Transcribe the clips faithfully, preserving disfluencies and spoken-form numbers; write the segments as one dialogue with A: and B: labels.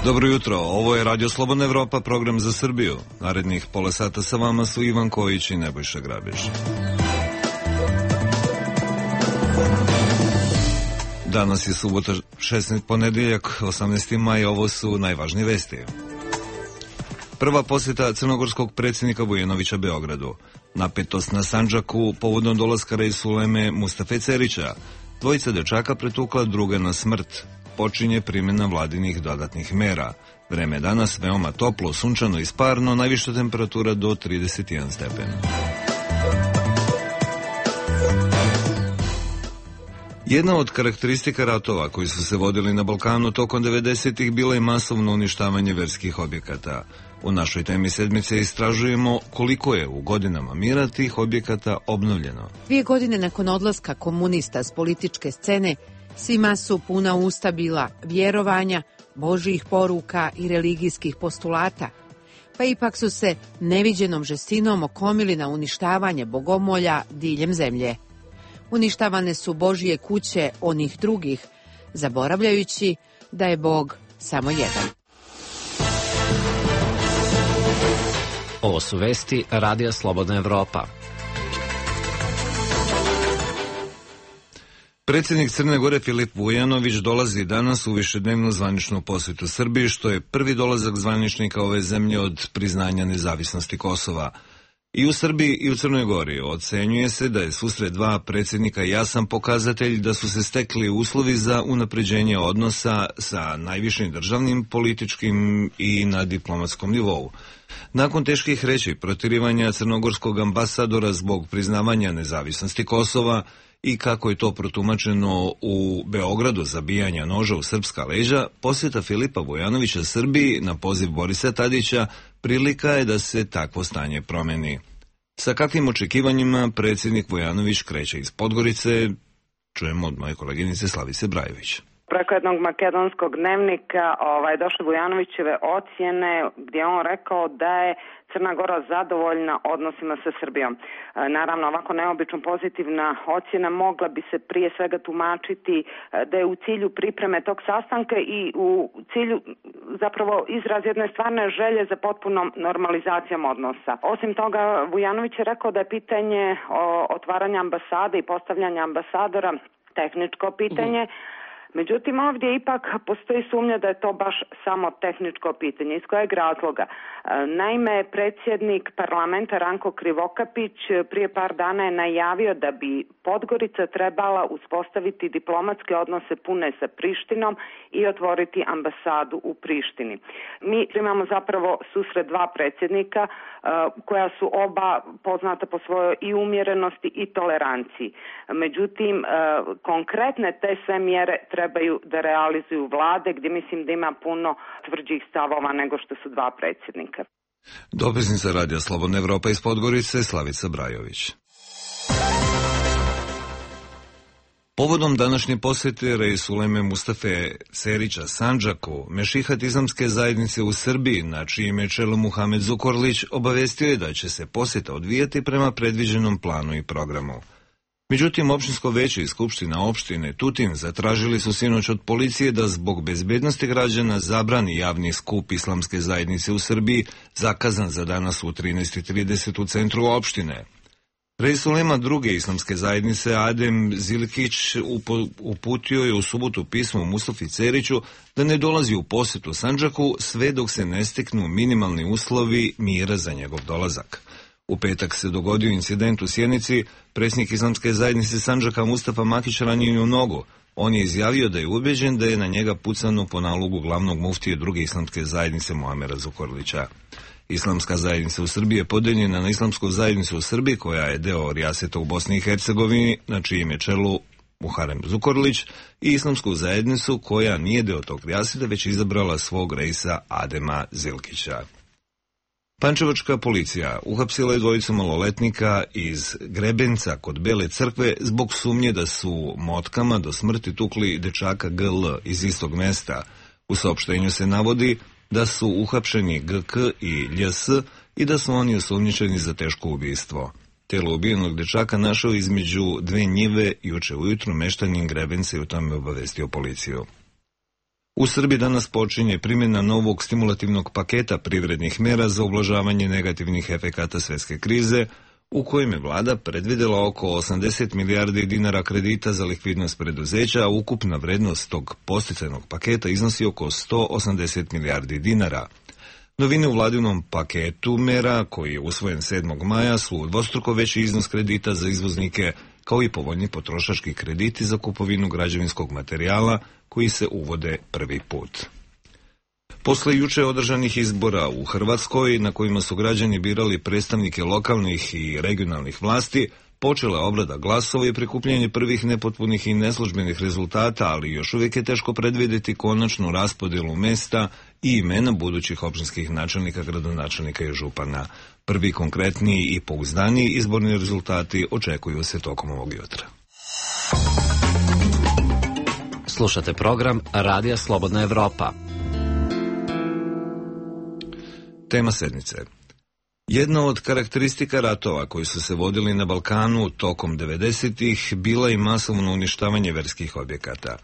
A: Dobro jutro, ovo je Radio Slobodna Evropa, program za Srbiju. Narednih pola sata sa vama su Ivan Kojić i Nebojša Grabiš. Danas je subota, šesnaesti ponedeljak, osamnaesti maj, ovo su najvažnije vesti. Prva posjeta crnogorskog predsjednika Vujanovića Beogradu. Napetost na Sandžaku povodom dolaska Reisuleme Mustafe Cerića. Dvojica dečaka pretukla, druga na smrt. Počinje primjena vladinih dodatnih mera. Vreme je danas veoma toplo, sunčano i sparno, najviša temperatura do trideset jedan stepen. Jedna od karakteristika ratova koji su se vodili na Balkanu tokom devedesetih bila je masovno uništavanje verskih objekata. U našoj temi sedmice istražujemo koliko je u godinama mira tih objekata obnovljeno.
B: Dvije godine nakon odlaska komunista s političke scene, svima su puna usta bila vjerovanja, božjih poruka i religijskih postulata, pa ipak su se neviđenom žestinom okomili na uništavanje bogomolja diljem zemlje. Uništavane su Božje kuće onih drugih, zaboravljajući da je Bog samo jedan.
C: Ovo su vesti Radija Slobodna Evropa.
A: Predsjednik Crne Gore Filip Vujanović dolazi danas u višednevnu zvaničnu posjetu Srbiji, što je prvi dolazak zvaničnika ove zemlje od priznanja nezavisnosti Kosova. I u Srbiji i u Crnoj Gori ocenjuje se da je susret dva predsjednika jasan pokazatelj da su se stekli uslovi za unapređenje odnosa sa najvišim državnim, političkim i na diplomatskom nivou. Nakon teških reči protirivanja crnogorskog ambasadora zbog priznavanja nezavisnosti Kosova i kako je to protumačeno u Beogradu zabijanja noža u srpska leđa, posjeta Filipa Vujanovića Srbiji na poziv Borisa Tadića prilika je da se takvo stanje promeni. Sa kakvim očekivanjima predsjednik Vujanović kreće iz Podgorice, čujemo od moje koleginice Slavice Brajević.
D: Preko jednog makedonskog dnevnika ovaj, došle Vujanovićeve ocjene gdje on rekao da je Crna Gora zadovoljna odnosima sa Srbijom. E, naravno, ovako neobično pozitivna ocjena mogla bi se prije svega tumačiti e, da je u cilju pripreme tog sastanka i u cilju zapravo izraz jedne stvarne želje za potpunom normalizacijom odnosa. Osim toga, Vujanović je rekao da je pitanje o otvaranja ambasade i postavljanja ambasadora tehničko pitanje. Mm-hmm. Međutim, ovdje ipak postoji sumnja da je to baš samo tehničko pitanje. Iz kojeg razloga? Naime, predsjednik parlamenta Ranko Krivokapić prije par dana je najavio da bi Podgorica trebala uspostaviti diplomatske odnose pune sa Prištinom i otvoriti ambasadu u Prištini. Mi imamo zapravo susret dva predsjednika koja su oba poznata po svojoj i umjerenosti i toleranciji. Međutim, konkretne te sve mjere trebaju da realizuju vlade, gdje mislim da ima puno tvrđih stavova nego što su dva predsjednika.
A: Dopisnica Radija Slobodna Evropa iz Podgorice, Slavica Brajović. Povodom današnje posjete Reisuleme Mustafe Cerića Sandžaku, Mešihat islamske zajednice u Srbiji, na čijem je čelu Muhamed Zukorlić, obavestio je da će se posjeta odvijati prema predviđenom planu i programu. Međutim, općinsko veće i skupština opštine Tutin zatražili su sinoć od policije da zbog bezbednosti građana zabrani javni skup islamske zajednice u Srbiji, zakazan za danas u trinaest i trideset u centru opštine. Reisulema druge islamske zajednice Adem Zilkić uputio je u subotu pismo Mustafi Ceriću da ne dolazi u posjetu Sandžaku sve dok se ne steknu minimalni uslovi mira za njegov dolazak. U petak se dogodio incident u Sjenici, predsjednik islamske zajednice Sandžaka Mustafa Makić ranjen u nogu. On je izjavio da je ubeđen da je na njega pucano po nalogu glavnog muftije druge islamske zajednice Muamera Zukorlića. Islamska zajednica u Srbiji je podeljena na islamsku zajednicu u Srbiji, koja je deo rijaseta u Bosni i Hercegovini, na čijem je čelu Muharem Zukorlić, i islamsku zajednicu koja nije deo tog rijaseta, već izabrala svog reisa Adema Zilkića. Pančevačka policija uhapsila je dvojicu maloletnika iz Grebenca kod Bele crkve zbog sumnje da su motkama do smrti tukli dečaka G L iz istog mesta. U saopštenju se navodi da su uhapšeni G K i Lj S i da su oni osumnjičeni za teško ubistvo. Telo ubijenog dečaka našao između dve njive juče ujutru meštanin Grebenca i o tome obavestio policiju. U Srbiji danas počinje primjena novog stimulativnog paketa privrednih mera za ublažavanje negativnih efekata svjetske krize, u kojem je vlada predvidjela oko osamdeset milijardi dinara kredita za likvidnost preduzeća, a ukupna vrednost tog podsticajnog paketa iznosi oko sto osamdeset milijardi dinara. Novine u vladinom paketu mera, koji je usvojen sedmog maja, su dvostruko veći iznos kredita za izvoznike, kao i povoljni potrošački krediti za kupovinu građevinskog materijala, koji se uvode prvi put. Posle juče održanih izbora u Hrvatskoj, na kojima su građani birali predstavnike lokalnih i regionalnih vlasti, počela je obrada glasova i prikupljanje prvih nepotpunih i neslužbenih rezultata, ali još uvijek je teško predvidjeti konačnu raspodjelu mesta i imena budućih općinskih načelnika, gradonačelnika i župana. Prvi konkretniji i pouzdaniji izborni rezultati očekuju se tokom ovog jutra.
C: Slušate program Radija Slobodna Evropa.
A: Tema sednice. Jedna od karakteristika ratova koji su se vodili na Balkanu tokom devedesetih bila i masovno uništavanje verskih objekata.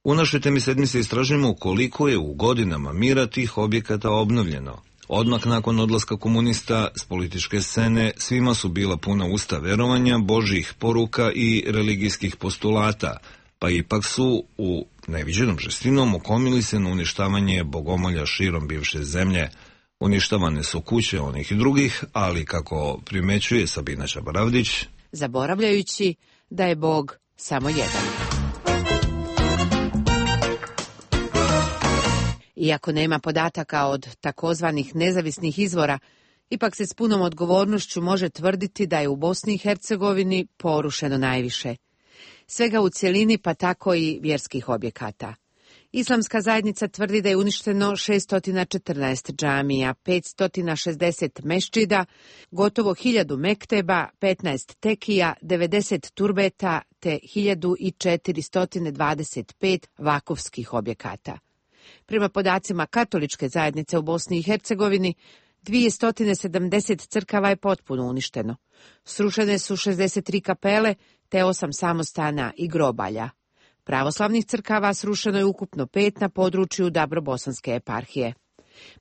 A: U našoj temi sedmice istražujemo koliko je u godinama mira tih objekata obnovljeno. Odmah nakon odlaska komunista s političke scene svima su bila puna usta verovanja, božjih poruka i religijskih postulata, pa ipak su u neviđenom žestinom okomili se na uništavanje bogomolja širom bivše zemlje. Uništavane su kuće onih i drugih, ali kako primećuje Sabina Čabaravdić,
B: zaboravljajući da je Bog samo jedan. Iako nema podataka od takozvanih nezavisnih izvora, ipak se s punom odgovornošću može tvrditi da je u Bosni i Hercegovini porušeno najviše. Svega u cjelini, pa tako i vjerskih objekata. Islamska zajednica tvrdi da je uništeno šesto četrnaest džamija, petsto šezdeset mešćida, gotovo hiljadu mekteba, petnaest tekija, devedeset turbeta te hiljadu četiristo dvadeset pet vakufskih objekata. Prema podacima katoličke zajednice u Bosni i Hercegovini, dvjesto sedamdeset crkava je potpuno uništeno. Srušene su šezdeset tri kapele te osam samostana i grobalja. Pravoslavnih crkava srušeno je ukupno pet na području Dabrobosanske eparhije.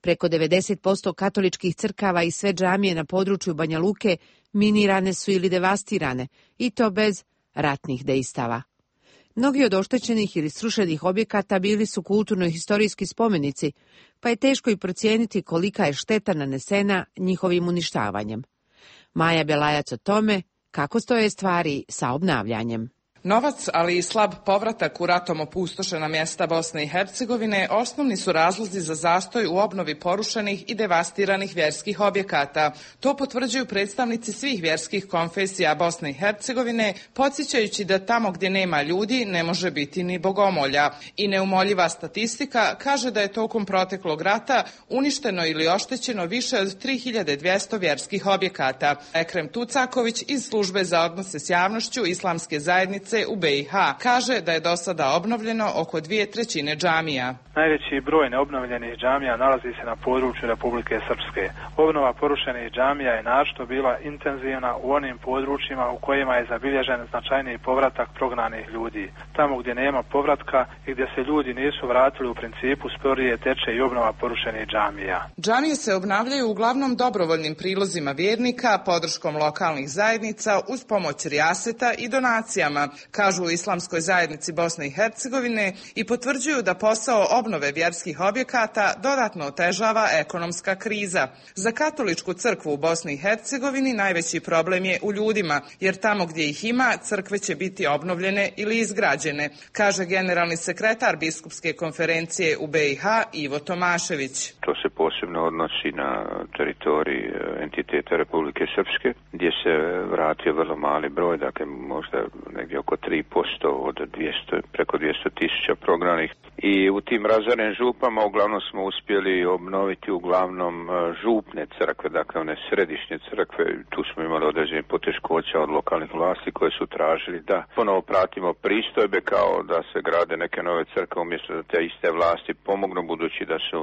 B: Preko devedeset posto katoličkih crkava i sve džamije na području Banja Luke minirane su ili devastirane, i to bez ratnih dejstava. Mnogi od oštećenih ili srušenih objekata bili su kulturno-historijski spomenici, pa je teško i procijeniti kolika je šteta nanesena njihovim uništavanjem. Maja Belajac o tome kako stoje stvari sa obnavljanjem.
E: Novac, ali i slab povratak u ratom opustošena mjesta Bosne i Hercegovine osnovni su razlozi za zastoj u obnovi porušenih i devastiranih vjerskih objekata. To potvrđuju predstavnici svih vjerskih konfesija Bosne i Hercegovine, podsjećajući da tamo gdje nema ljudi ne može biti ni bogomolja. I neumoljiva statistika kaže da je tokom proteklog rata uništeno ili oštećeno više od tri hiljade dvjesto vjerskih objekata. Ekrem Tucaković iz Službe za odnose s javnošću Islamske zajednice u B i H kaže da je do sada obnovljeno oko dvije trećine džamija.
F: Najveći broj neobnovljenih džamija nalazi se na području Republike Srpske. Obnova porušenih džamija je naročito bila intenzivna u onim područjima u kojima je zabilježen značajniji povratak prognanih ljudi. Tamo gdje nema povratka i gdje se ljudi nisu vratili, u principu sporije teče i obnova porušenih džamija.
E: Džamije se obnavljaju uglavnom dobrovoljnim prilozima vjernika, podrškom lokalnih zajednica uz pomoć rijaseta i donacijama, kažu u Islamskoj zajednici Bosne i Hercegovine, i potvrđuju da posao obnove vjerskih objekata dodatno otežava ekonomska kriza. Za katoličku crkvu u Bosni i Hercegovini najveći problem je u ljudima, jer tamo gdje ih ima, crkve će biti obnovljene ili izgrađene, kaže generalni sekretar biskupske konferencije u B i H Ivo Tomašević.
G: To se posebno odnosi na teritoriji entiteta Republike Srpske, gdje se vratio vrlo mali broj, dakle možda negdje oko tri posto od dvjesto, preko dvjesto tisuća prognanih. I u tim razorenim župama uglavnom smo uspjeli obnoviti uglavnom župne crkve, dakle one središnje crkve. Tu smo imali određene poteškoća od lokalnih vlasti koje su tražili da ponovo pratimo pristojbe kao da se grade neke nove crkve umjesto da te iste vlasti pomognu, budući da su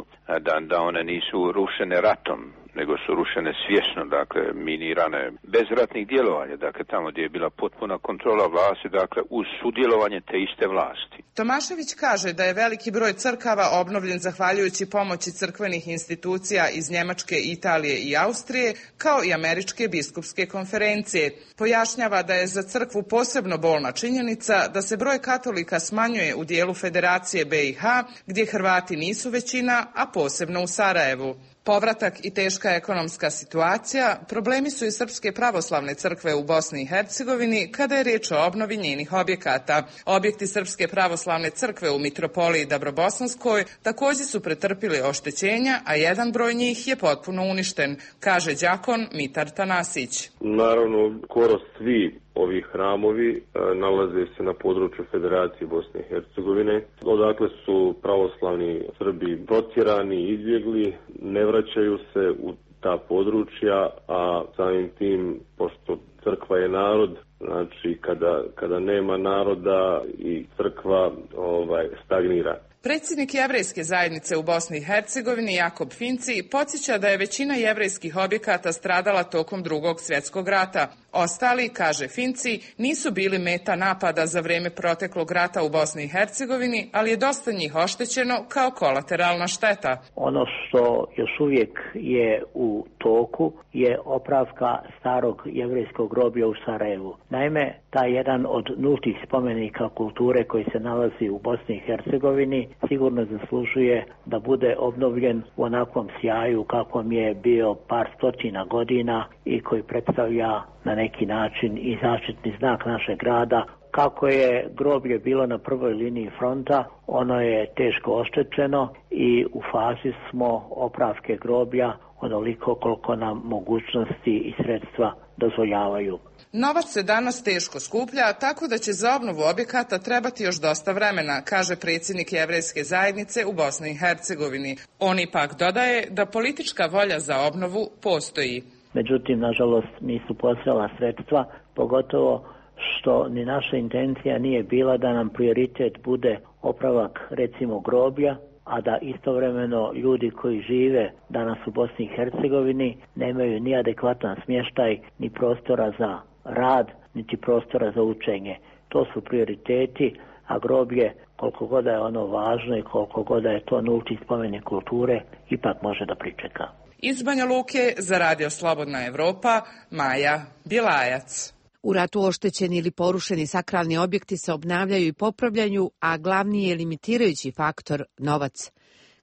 G: da, da one nisu rušene ratom. nego su rušene svjesno, dakle minirane bez ratnih djelovanja, dakle tamo gdje je bila potpuna kontrola vlasti, dakle uz sudjelovanje te iste vlasti.
E: Tomašević kaže da je veliki broj crkava obnovljen zahvaljujući pomoći crkvenih institucija iz Njemačke, Italije i Austrije, kao i Američke biskupske konferencije. Pojašnjava da je za crkvu posebno bolna činjenica da se broj katolika smanjuje u dijelu Federacije B i H, gdje Hrvati nisu većina, a posebno u Sarajevu. Povratak i teška ekonomska situacija problemi su i Srpske pravoslavne crkve u Bosni i Hercegovini kada je riječ o obnovi njenih objekata. Objekti Srpske pravoslavne crkve u Mitropoliji Dabrobosanskoj također su pretrpili oštećenja, a jedan broj njih je potpuno uništen, kaže đakon Mitar Tanasić.
H: Naravno, skoro svi ovi hramovi nalaze se na području Federacije Bosne i Hercegovine. Odakle su pravoslavni Srbi protjerani, izbjegli, ne vraćaju se u ta područja, a samim tim, pošto crkva je narod, znači kada, kada nema naroda i crkva ovaj, stagnira.
E: Predsjednik jevrejske zajednice u Bosni i Hercegovini Jakob Finci podsjeća da je većina jevrejskih objekata stradala tokom Drugog svjetskog rata. Ostali, kaže Finci, nisu bili meta napada za vrijeme proteklog rata u Bosni i Hercegovini, ali je dosta njih oštećeno kao kolateralna šteta.
I: Ono što još uvijek je u toku je opravka starog jevrejskog groblja u Sarajevu. Naime, taj jedan od nultih spomenika kulture koji se nalazi u Bosni i Hercegovini sigurno zaslužuje da bude obnovljen u onakvom sjaju kakvom je bio par stotina godina i koji predstavlja na neki način i zaštitni znak našeg grada. Kako je groblje bilo na prvoj liniji fronta, ono je teško oštećeno i u fazi smo opravke groblja onoliko koliko nam mogućnosti i sredstva dozvoljavaju.
E: Novac se danas teško skuplja, tako da će za obnovu objekata trebati još dosta vremena, kaže predsjednik jevrejske zajednice u Bosni i Hercegovini. On ipak dodaje da politička volja za obnovu postoji.
I: Međutim, nažalost, nisu postojala sredstva, pogotovo što ni naša intencija nije bila da nam prioritet bude opravak, recimo, groblja, a da istovremeno ljudi koji žive danas u Bosni i Hercegovini nemaju ni adekvatan smještaj, ni prostora za rad, niti prostora za učenje. To su prioriteti, a groblje, koliko god je ono važno i koliko god je to nulti spomenik kulture, ipak može da pričeka.
E: Iz Banja Luke za Radio Slobodna Evropa, Maja Bjelajac.
B: U ratu oštećeni ili porušeni sakralni objekti se obnavljaju i popravljaju, a glavni je limitirajući faktor novac.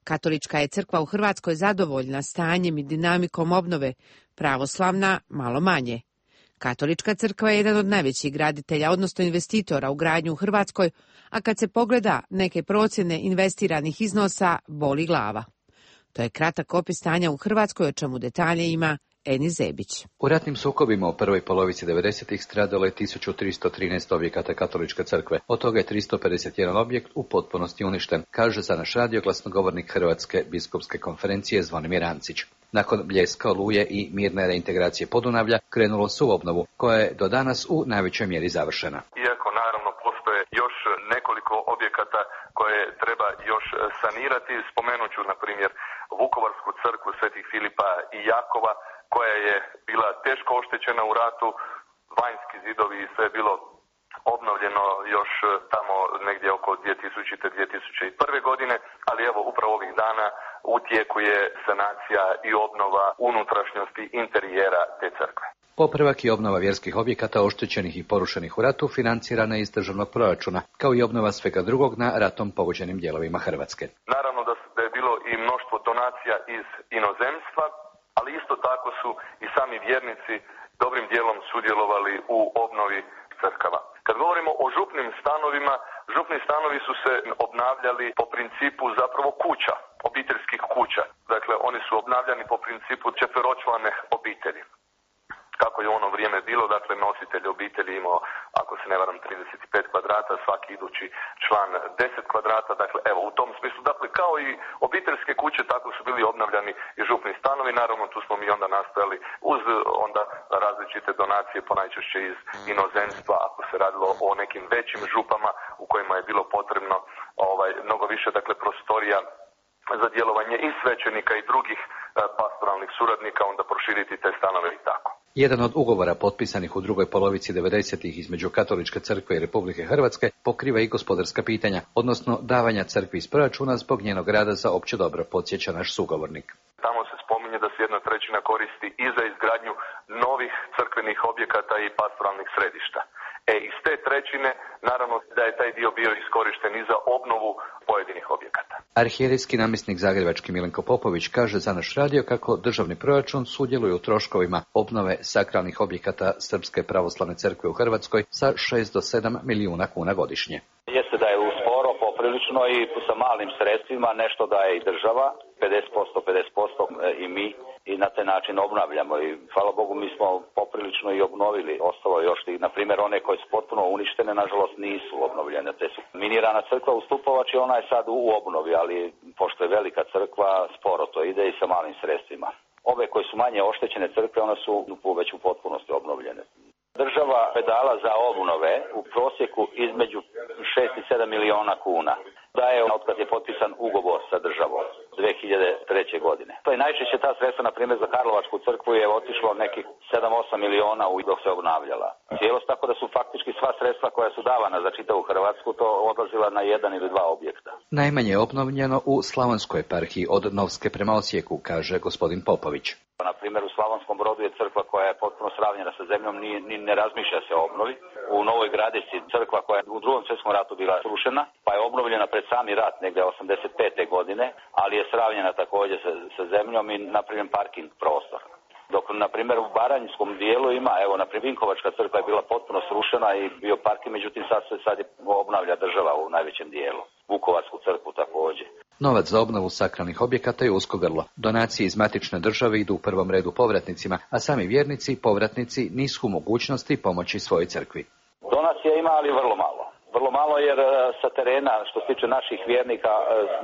B: Katolička je crkva u Hrvatskoj zadovoljna stanjem i dinamikom obnove, pravoslavna malo manje. Katolička crkva je jedan od najvećih graditelja, odnosno investitora u gradnju u Hrvatskoj, a kad se pogleda neke procjene investiranih iznosa, boli glava. To je kratak opis stanja u Hrvatskoj, o čemu detalje ima Eni Zebić.
J: U ratnim sukobima u prvoj polovici devedesetih stradalo je tisuću tristo trinaest objekata Katoličke crkve. Od toga je tristo pedeset jedan objekt u potpunosti uništen, kaže za naš radio glasnogovornik Hrvatske biskupske konferencije Zvonimir Ancić. Nakon bljeska, oluje i mirne reintegracije Podunavlja krenulo se u obnovu, koja je do danas u najvećoj mjeri završena.
K: Iako naravno postoje još nekoliko objekata koje treba još sanirati, spomenut ću na primjer Vukovarsku crkvu Svetih Filipa i Jakova, koja je bila teško oštećena u ratu, vanjski zidovi i sve je bilo obnovljeno još tamo negdje oko dvije tisućite do dvije tisuće prve. godine, ali evo upravo ovih dana u tijeku je sanacija i obnova unutrašnjosti interijera te crkve.
J: Popravak i obnova vjerskih objekata oštećenih i porušenih u ratu financirana je iz državnog proračuna, kao i obnova svega drugog na ratom pogođenim dijelovima Hrvatske.
K: Naravno da, da je bilo i mnoštvo donacija iz inozemstva, ali isto tako su i sami vjernici dobrim dijelom sudjelovali u obnovi crkava. Kad govorimo o župnim stanovima, župni stanovi su se obnavljali po principu zapravo kuća, obiteljskih kuća. Dakle, oni su obnavljani po principu četveročlane obitelji. Kako je ono vrijeme bilo, dakle, nositelj obitelji imao, ako se ne varam, trideset pet kvadrata, svaki idući član deset kvadrata, dakle, evo, u tom smislu, dakle, kao i obiteljske kuće, tako su bili obnavljani i župni stanovi, naravno, tu smo mi onda nastojali uz onda različite donacije, ponajčešće iz inozemstva, ako se radilo o nekim većim župama u kojima je bilo potrebno ovaj, mnogo više, dakle, prostorija za djelovanje i svećenika i drugih pastoralnih suradnika, onda proširiti te stanove i tako.
J: Jedan od ugovora potpisanih u drugoj polovici devedesetih između Katoličke crkve i Republike Hrvatske pokriva i gospodarska pitanja, odnosno davanja crkvi iz proračuna zbog njenog rada za opće dobro, podsjeća naš sugovornik.
K: Tamo se spominje da se jedna trećina koristi i za izgradnju novih crkvenih objekata i pastoralnih središta. E, iz te trećine, naravno da je taj dio bio iskorišten i za obnovu pojedinih objekata.
J: Arhijerijski namjesnik zagrebački Milenko Popović kaže za naš radio kako državni proračun sudjeluje u troškovima obnove sakralnih objekata Srpske pravoslavne crkve u Hrvatskoj sa šest do sedam milijuna kuna godišnje.
L: Jeste da je usporo poprilično i sa malim sredstvima, nešto daje i država, pedeset posto, pedeset posto i mi, i na taj način obnavljamo. I hvala Bogu mi smo poprilično i obnovili. Ostalo je još, na primjer, one koje su potpuno uništene, nažalost nisu obnovljene. Te su minirana crkva u Stupovač i ona je sad u obnovi, ali pošto je velika crkva, sporo to ide i sa malim sredstvima. Ove koje su manje oštećene crkve, one su već u potpunosti obnovljene. Država je dala za obnove u prosjeku između šest i sedam miliona kuna. Da je od kad je potpisan ugovor sa državom dvije hiljade treće. godine. To je najčešće ta sredstva, na primjer, za Karlovačku crkvu je otišlo nekih sedam osam miliona u dok se obnavljala. Cijelost, tako da su faktički sva sredstva koja su davana za čitavu Hrvatsku to odlazila na jedan ili dva objekta.
J: Najmanje je obnovljeno u Slavonskoj eparhiji od Novske prema Osijeku, kaže gospodin Popović.
L: Na primjer, u Slavonskom Brodu je crkva koja je potpuno sravnjena sa zemljom, ni, ni ne razmišlja se o obnovi. U Novoj Gradišci crkva koja je u drugom svjetskom ratu bila srušena, pa je obnovljena pred sami rat negdje osamdeset pete. godine, ali je sravnjena također sa, sa zemljom i napravljen parking prostor. Dok, na primjer, u Baranjskom dijelu ima, evo, na primjer, Vinkovačka crkva je bila potpuno srušena i bio parking, međutim sad se sad je obnavlja država u najvećem dijelu. Vukovarsku crkvu također.
J: Novac za obnovu sakralnih objekata je usko grlo. Donacije iz matične države idu u prvom redu povratnicima, a sami vjernici i povratnici nisu u mogućnosti pomoći svojoj crkvi.
L: Donacija ima, ali vrlo malo. Vrlo malo jer sa terena, što se tiče naših vjernika,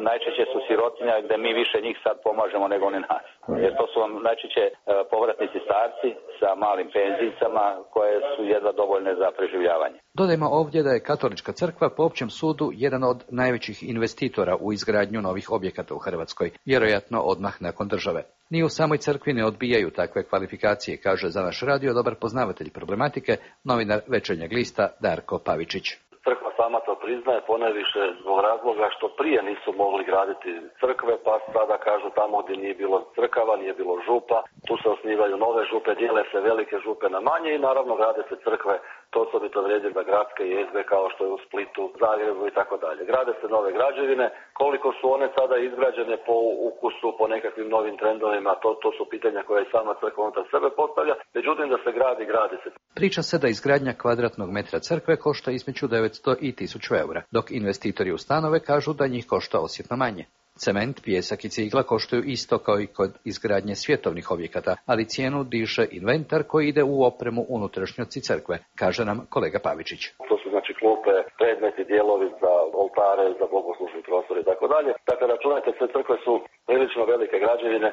L: najčešće su sirotinja gdje mi više njih sad pomažemo nego oni nas. Jer to su vam najčešće povratnici starci sa malim penzijicama koje su jedva dovoljne za preživljavanje.
J: Dodajmo ovdje da je Katolička crkva po općem sudu jedan od najvećih investitora u izgradnju novih objekata u Hrvatskoj, vjerojatno odmah nakon države. Ni u samoj crkvi ne odbijaju takve kvalifikacije, kaže za naš radio dobar poznavatelj problematike, novinar Večernjeg lista Darko Pavičić.
M: Crkva sama to priznaje, ponajviše zbog razloga što prije nisu mogli graditi crkve, pa sada kažu tamo gdje nije bilo crkava, nije bilo župa, tu se osnivaju nove župe, dijele se velike župe na manje i naravno grade se crkve, to osobito vrijedi za gradske jezgre kao što je u Splitu, Zagrebu i tako dalje. Grade se nove građevine, koliko su one sada izgrađene po ukusu, po nekakvim novim trendovima, to, to su pitanja koje i sama crkva unutar sebe postavlja, međutim da se gradi, gradi se.
J: Priča se da izgradnja kvadratnog metra crkve košta između devetsto i tisuću eura, dok investitori u stanove kažu da njih košta osjetno manje. Cement, pijesak i cigla koštaju isto kao i kod izgradnje svjetovnih objekata, ali cijenu diže inventar koji ide u opremu unutrašnjosti crkve, kaže nam kolega Pavičić.
M: To su znači klupe, predmeti, dijelovi za oltare, za bogoslužni prostor i tako dalje. Dakle, računajte, sve crkve su prilično velike građevine,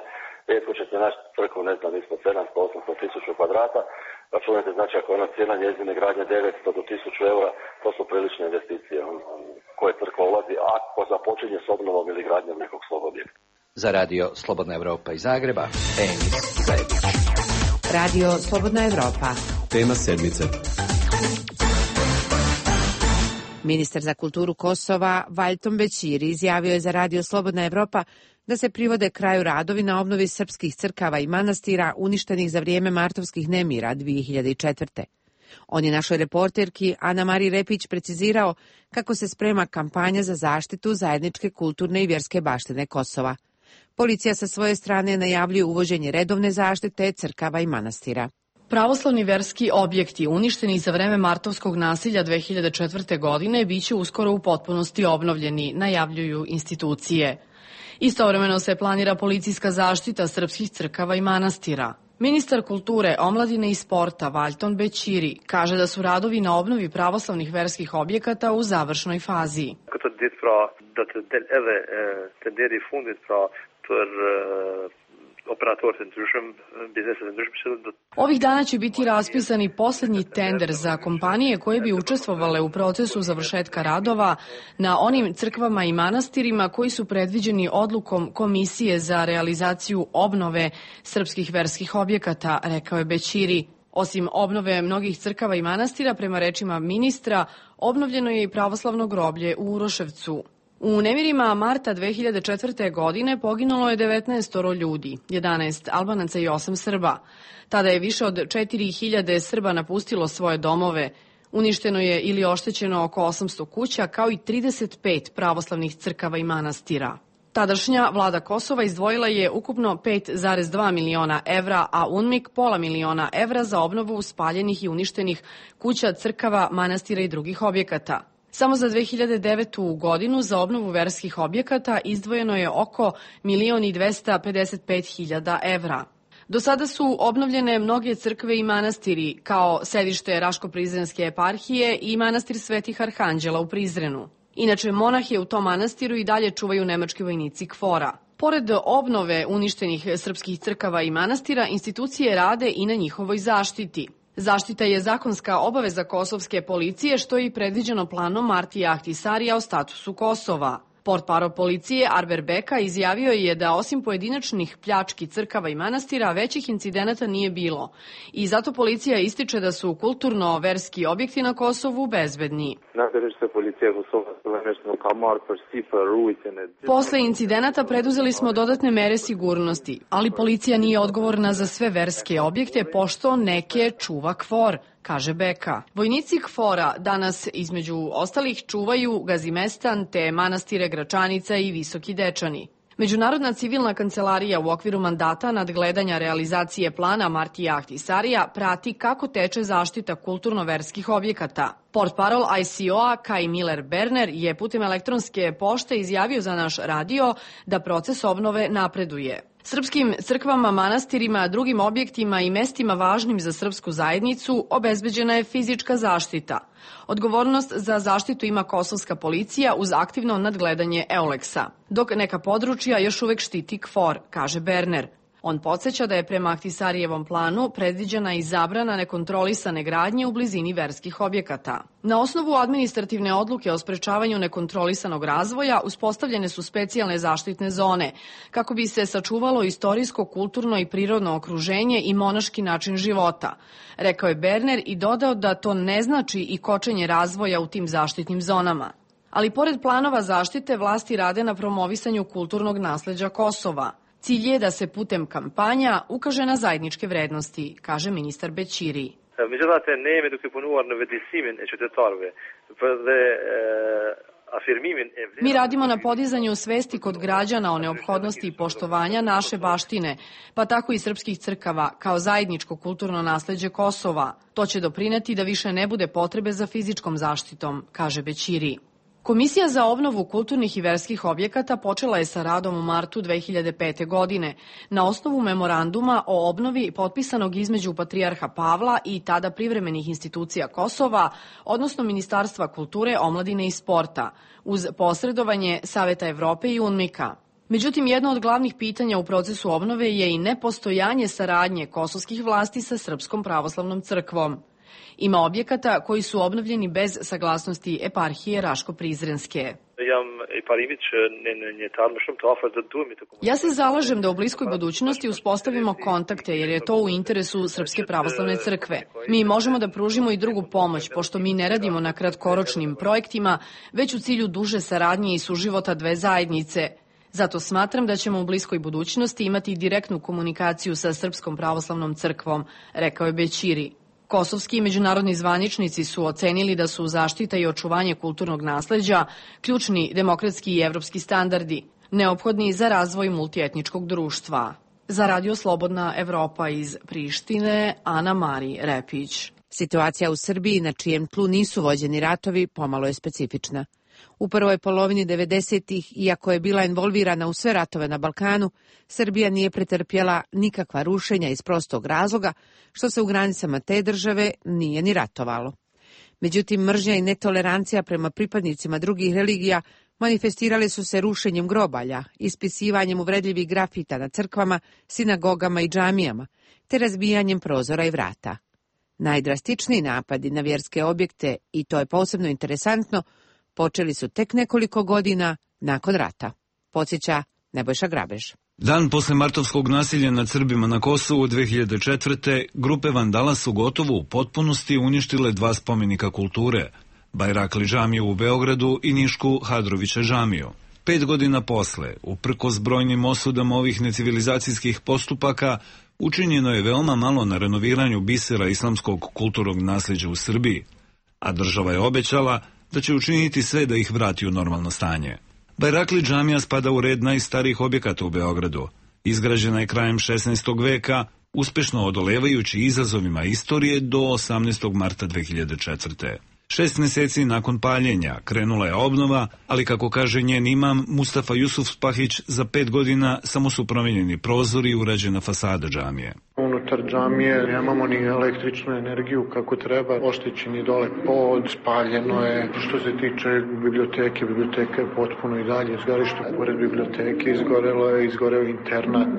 M: rijetko ćete naći crkvu, ne znam, ispod sedamsto do osamsto tisuća kvadrata. Računajte, znači, ako je ona cijena njezine gradnje devetsto do tisuću eura, to su prilične investicije koje crkva ulazi ako započinje s obnovom ili gradnjom nekog svog objekta.
J: Za radio Slobodna Evropa iz Zagreba, Enis Zajebić.
B: Radio Slobodna Evropa.
N: Tema sedmice.
B: Ministar za kulturu Kosova Valjton Bećiri izjavio je za radio Slobodna Evropa da se privode kraju radovi na obnovi srpskih crkava i manastira uništenih za vrijeme martovskih nemira dvije hiljade četvrte. On je našoj reporterki Ana Mariji Repić precizirao kako se sprema kampanja za zaštitu zajedničke kulturne i vjerske baštine Kosova. Policija sa svoje strane najavljuje uvođenje redovne zaštite crkava i manastira.
O: Pravoslavni verski objekti uništeni za vreme martovskog nasilja dvije hiljade četvrte. godine biće uskoro u potpunosti obnovljeni, najavljuju institucije. Istovremeno se planira policijska zaštita srpskih crkava i manastira. Ministar kulture, omladine i sporta Valjton Bećiri kaže da su radovi na obnovi pravoslavnih verskih objekata u završnoj fazi. Ovih dana će biti raspisani poslednji tender za kompanije koje bi učestvovale u procesu završetka radova na onim crkvama i manastirima koji su predviđeni odlukom Komisije za realizaciju obnove srpskih verskih objekata, rekao je Bećiri. Osim obnove mnogih crkava i manastira, prema rečima ministra, obnovljeno je i pravoslavno groblje u Uroševcu. U nemirima marta dve hiljade četvrte. godine poginulo je devetnaest ljudi, jedanaest Albanaca i osam Srba. Tada je više od četiri hiljade Srba napustilo svoje domove. Uništeno je ili oštećeno oko osamsto kuća, kao i trideset pet pravoslavnih crkava i manastira. Tadašnja vlada Kosova izdvojila je ukupno pet zarez dva miliona evra, a UNMIK pola miliona evra za obnovu spaljenih i uništenih kuća, crkava, manastira i drugih objekata. Samo za dve hiljade devetu. godinu za obnovu verskih objekata izdvojeno je oko milion i dvesta pedeset pet hiljada evra. Do sada su obnovljene mnoge crkve i manastiri, kao sedište Raško-Prizrenske eparhije i manastir Svetih Arhanđela u Prizrenu. Inače, monahe u tom manastiru i dalje čuvaju nemački vojnici KFOR-a. Pored obnove uništenih srpskih crkava i manastira, institucije rade i na njihovoj zaštiti. Zaštita je zakonska obaveza kosovske policije, što je i predviđeno planom Martija Ahtisarija o statusu Kosova. Portparol policije Arber Beka izjavio je da osim pojedinačnih pljački crkava i manastira većih incidenata nije bilo i zato policija ističe da su kulturno-verski objekti na Kosovu bezbedni. Posle incidenata preduzeli smo dodatne mere sigurnosti, ali policija nije odgovorna za sve verske objekte pošto neke čuva KFOR, kaže Beka. Vojnici KFOR-a danas između ostalih čuvaju Gazimestan te manastire Gračanica i Visoki Dečani. Međunarodna civilna kancelarija u okviru mandata nadgledanja realizacije plana Martija Ahtisarija prati kako teče zaštita kulturno-verskih objekata. Portparol I C O-a Kai Miller Berner je putem elektronske pošte izjavio za naš radio da proces obnove napreduje. Srpskim crkvama, manastirima, drugim objektima i mestima važnim za srpsku zajednicu obezbeđena je fizička zaštita. Odgovornost za zaštitu ima kosovska policija uz aktivno nadgledanje Euleksa, dok neka područja još uvek štiti KFOR, kaže Berner. On podsjeća da je prema Ahtisarijevom planu predviđena i zabrana nekontrolisane gradnje u blizini verskih objekata. Na osnovu administrativne odluke o sprečavanju nekontrolisanog razvoja uspostavljene su specijalne zaštitne zone, kako bi se sačuvalo istorijsko, kulturno i prirodno okruženje i monaški način života, rekao je Berner i dodao da to ne znači i kočenje razvoja u tim zaštitnim zonama. Ali pored planova zaštite, vlasti rade na promovisanju kulturnog nasleđa Kosova. Cilj je da se putem kampanja ukaže na zajedničke vrednosti, kaže ministar Bećiri. Mi radimo na podizanju svesti kod građana o neophodnosti poštovanja naše baštine, pa tako i srpskih crkava, kao zajedničko kulturno nasleđe Kosova. To će doprineti da više ne bude potrebe za fizičkom zaštitom, kaže Bećiri. Komisija za obnovu kulturnih i verskih objekata počela je sa radom u martu dve hiljade pete. godine na osnovu memoranduma o obnovi potpisanog između Patrijarha Pavla i tada privremenih institucija Kosova, odnosno Ministarstva kulture, omladine i sporta, uz posredovanje Saveta Evrope i UNMIK-a. Međutim, jedno od glavnih pitanja u procesu obnove je i nepostojanje saradnje kosovskih vlasti sa Srpskom pravoslavnom crkvom. Ima objekata koji su obnovljeni bez saglasnosti eparhije Raško-Prizrenske. Ja se zalažem da u bliskoj budućnosti uspostavimo kontakte jer je to u interesu Srpske pravoslavne crkve. Mi možemo da pružimo i drugu pomoć, pošto mi ne radimo na kratkoročnim projektima, već u cilju duže saradnje i suživota dve zajednice. Zato smatram da ćemo u bliskoj budućnosti imati direktnu komunikaciju sa Srpskom pravoslavnom crkvom, rekao je Bećiri. Kosovski i međunarodni zvaničnici su ocenili da su zaštita i očuvanje kulturnog nasleđa ključni demokratski i evropski standardi, neophodni za razvoj multietničkog društva. Za Radio Slobodna Evropa iz Prištine, Ana Mari Repić.
B: Situacija u Srbiji, na čijem tlu nisu vođeni ratovi, pomalo je specifična. U prvoj polovini devedesetih, iako je bila involvirana u sve ratove na Balkanu, Srbija nije pretrpjela nikakva rušenja iz prostog razloga što se u granicama te države nije ni ratovalo. Međutim, mržnja i netolerancija prema pripadnicima drugih religija Manifestirali su se rušenjem grobalja, ispisivanjem uvredljivih grafita na crkvama, sinagogama i džamijama, te razbijanjem prozora i vrata. Najdrastičniji napadi na vjerske objekte, i to je posebno interesantno, počeli su tek nekoliko godina nakon rata. Podsjeća Nebojša Grabež.
A: Dan posle martovskog nasilja nad Srbima na Kosovu dve hiljade četvrte. grupe vandala su gotovo u potpunosti uništile dva spomenika kulture, Bajrakli džamiju u Beogradu i Nišku Hadrovića džamiju. Pet godina posle, uprkos brojnim osudama ovih necivilizacijskih postupaka, učinjeno je veoma malo na renoviranju bisera islamskog kulturnog nasljeđa u Srbiji, a država je obećala da će učiniti sve da ih vrati u normalno stanje. Bajrakli džamija spada u red najstarijih objekata u Beogradu. Izgrađena je krajem šesnaestog veka, uspešno odolevajući izazovima istorije do osamnaestog marta dve hiljade četvrte. Šest meseci nakon paljenja krenula je obnova, ali kako kaže njen imam Mustafa Jusufspahić, za pet godina samo su promijenjeni prozori i urađena fasada džamije.
N: Unutar džamije nemamo ni električnu energiju kako treba, oštećen je dole pod, spaljeno je. Što se tiče biblioteke, biblioteka je potpuno i dalje izgorište. Pored biblioteke izgorelo je, izgoreo internat,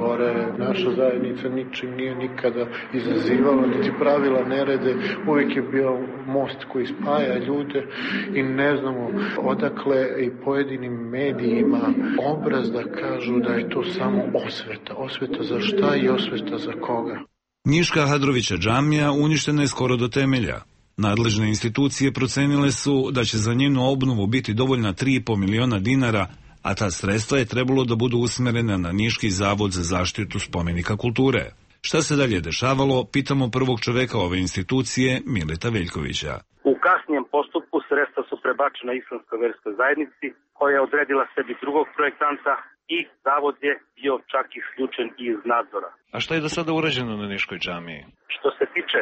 N: gore. Naša zajednica ničim nije nikada izazivala, niti pravila nerede. Uvijek je bio most koji spaja ljude i ne znamo odakle i pojedinim medijima obraz da kažu da je to samo osveta. Osveta za šta i osveta za koga?
A: Niška Hadrovića džamija uništena je skoro do temelja. Nadležne institucije procenile su da će za njenu obnovu biti dovoljna tri i po miliona dinara, a ta sredstva je trebalo da budu usmerena na Niški zavod za zaštitu spomenika kulture. Šta se dalje dešavalo, pitamo prvog čoveka ove institucije, Mileta Veljkovića.
P: U kasnijem postupku sredstva su prebačena Islamskoj verskoj zajednici, koja je odredila sebi drugog projektanta i zavod je bio čak isključen iz nadzora.
A: A šta je do sada urađeno na Niškoj džamiji?
P: Što se tiče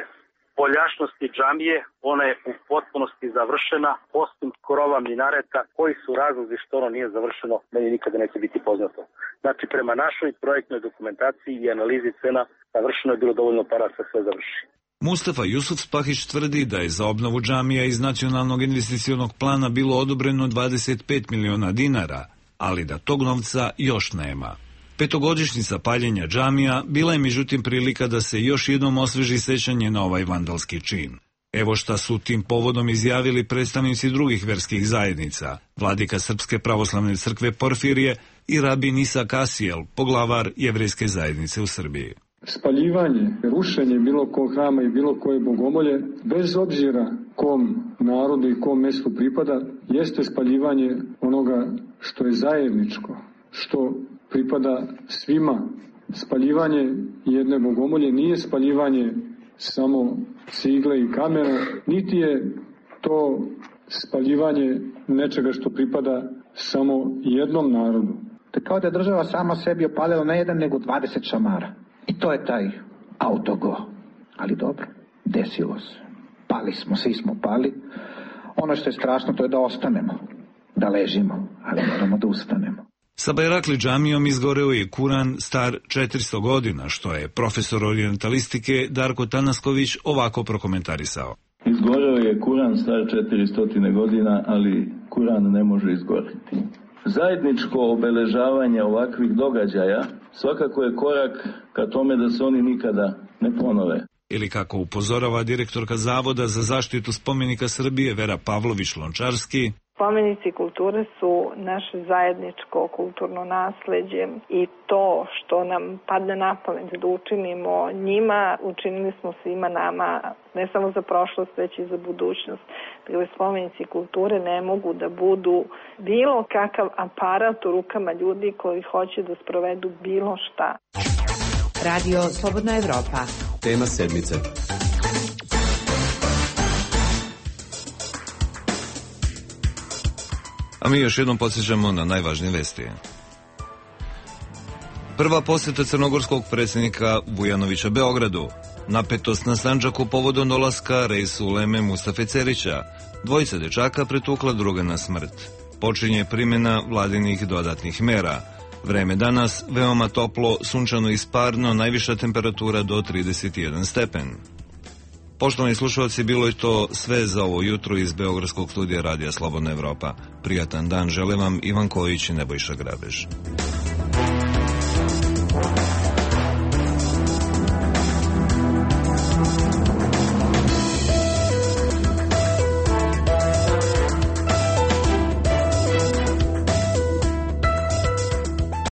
P: poljašnosti džamije, ona je u potpunosti završena, osim krova minareta, koji su razlozi što ono nije završeno, meni nikada neće biti poznato. Znači, prema našoj projektnoj dokumentaciji i analizi cena, završeno je bilo dovoljno para da se sve završi.
A: Mustafa Jusufspahić tvrdi da je za obnovu džamija iz nacionalnog investicionog plana bilo odobreno dvadeset pet miliona dinara, ali da tog novca još nema. Petogodišnjica paljenja džamija bila je međutim prilika da se još jednom osveži sećanje na ovaj vandalski čin. Evo šta su tim povodom izjavili predstavnici drugih verskih zajednica, vladika Srpske pravoslavne crkve Porfirije i rabin Isa Kasijel, poglavar jevrejske zajednice u Srbiji.
Q: Spaljivanje, rušenje bilo kog hrama i bilo koje bogomolje, bez obzira kom narodu i kom mjestu pripada, jeste spaljivanje onoga što je zajedničko, što pripada svima. Spaljivanje jedne bogomolje nije spaljivanje samo cigle i kamena, niti je to spaljivanje nečega što pripada samo jednom narodu.
R: To je kao da je država sama sebi opalila ne jedan nego dvadeset šamara. I to je taj autogo. Ali dobro, desilo se. Pali smo, svi smo pali. Ono što je strašno to je da ostanemo, da ležimo, ali moramo da ustanemo.
A: Sa Bajrakli džamijom izgoreo je Kuran star četiristo godina, što je profesor orijentalistike Darko Tanasković ovako prokomentarisao.
S: Izgoreo je Kuran star četiristo godina, ali Kuran ne može izgoriti. Zajedničko obeležavanje ovakvih događaja svakako je korak ka tome da se oni nikada ne ponove.
A: Ili kako upozorava direktorka Zavoda za zaštitu spomenika Srbije Vera Pavlović-Lončarski,
T: spomenici kulture su naše zajedničko kulturno nasleđe i to što nam padne na pamet da učinimo njima, učinili smo svima nama, ne samo za prošlost, već i za budućnost. Dakle, spomenici kulture ne mogu da budu bilo kakav aparat u rukama ljudi koji hoće da sprovedu bilo šta.
B: Radio Slobodna Evropa.
U: Tema sedmice.
A: A mi još jednom podsjećamo na najvažnije vesti. Prva posjeta crnogorskog predsjednika Vujanovića Beogradu. Napetost na Sandžaku povodom dolaska Reisu Uleme Mustafe Cerića. Dvojica dečaka pretukla druga na smrt. Počinje primjena vladinih dodatnih mera. Vreme danas veoma toplo, sunčano i sparno, najviša temperatura do trideset jedan stepen. Poštovani slušalci, bilo je to sve za ovo jutro iz Beogradskog studija Radija Slobodna Evropa. Prijatan dan žele vam Ivan Kojić i Nebojša Grabež.